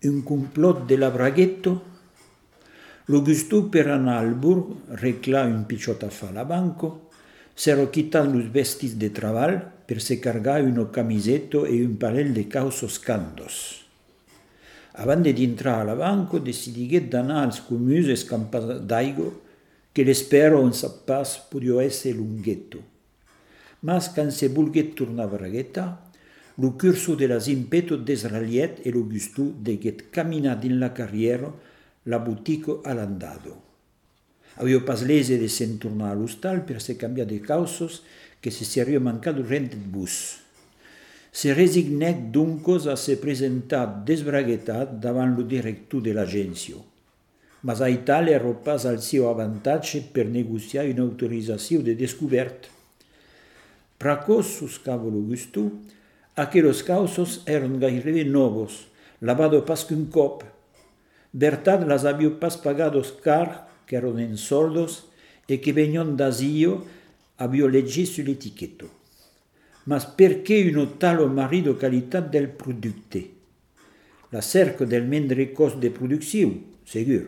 un complot de la braghetto, l'Augusto per anar al burg reclar un picciot a fa la banco, s'ero quitat los vestis de treball per se cargar una camisetto e un parell de causos candos. Abans d'entrar a la banco, decidigué d'anar als comuns escampats d'aigua, que l'espero un sap pas podia essere lunghetto. Mas quan se volgué tornar a Bragueta, lo curso de las impeto d'Israeliet e l'Augusto deguet caminar din la carriera la boutico all'andado. Aveva pas lese de se'n tornar all'hostal per se cambiare de causos che se seria mancato rent il bus. Se resignèc doncos a se presentar desbraguetat davant lo director de l'agència. Mas a Italia ero pas al seu avantatge per negociar una autorització de descobert. Pracos, suscava l'Augusto, aquellos causos eran gairebé novos, lavado pas qu'un cop. Bertat las havia pas pagados car, que eran en soldos, e que venion d'Asio havia legit sull'etichetto. Mas perché una tale marido qualitat del producte? La cerca del mendre cost de producció, segur,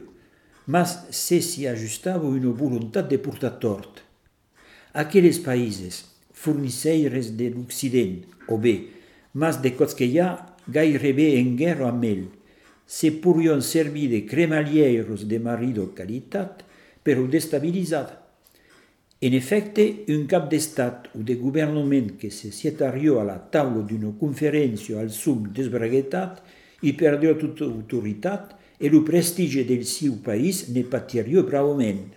mas se si ajustava una voluntat de portar tort. Aquells països, fornisseires de l'Occident, o bé, mas de cots que hi ha gairebé en guerra amb ell, se podien servir de cremalieros de marido qualitat, però destabilitzada. En efecte, un cap d'estat o de governament que se sietaria a la taula d'una conferència al sum desbraguetat i perdia tota autoritat e el prestigi del seu país ne patiria bravament.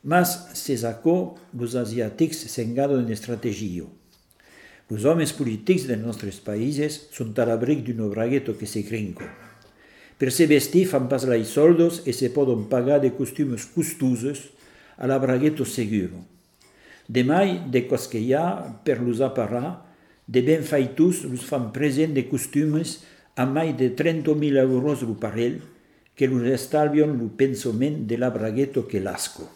Mas, se sacò, los asiàtics s'engaden en estratègia. Los homes polítics dels nostres països són a l'abric d'un bragueto que se crinco. Per se vestir fan pas lai soldos e se poden pagar de costumes costosos a la braghetto seguro. Demai, de cos que hi ha per los aparar, de ben faitus los fan present de costumes a mai de 30.000 euros lo parell, que los estalvion lo pensament de la braghetto que l'asco.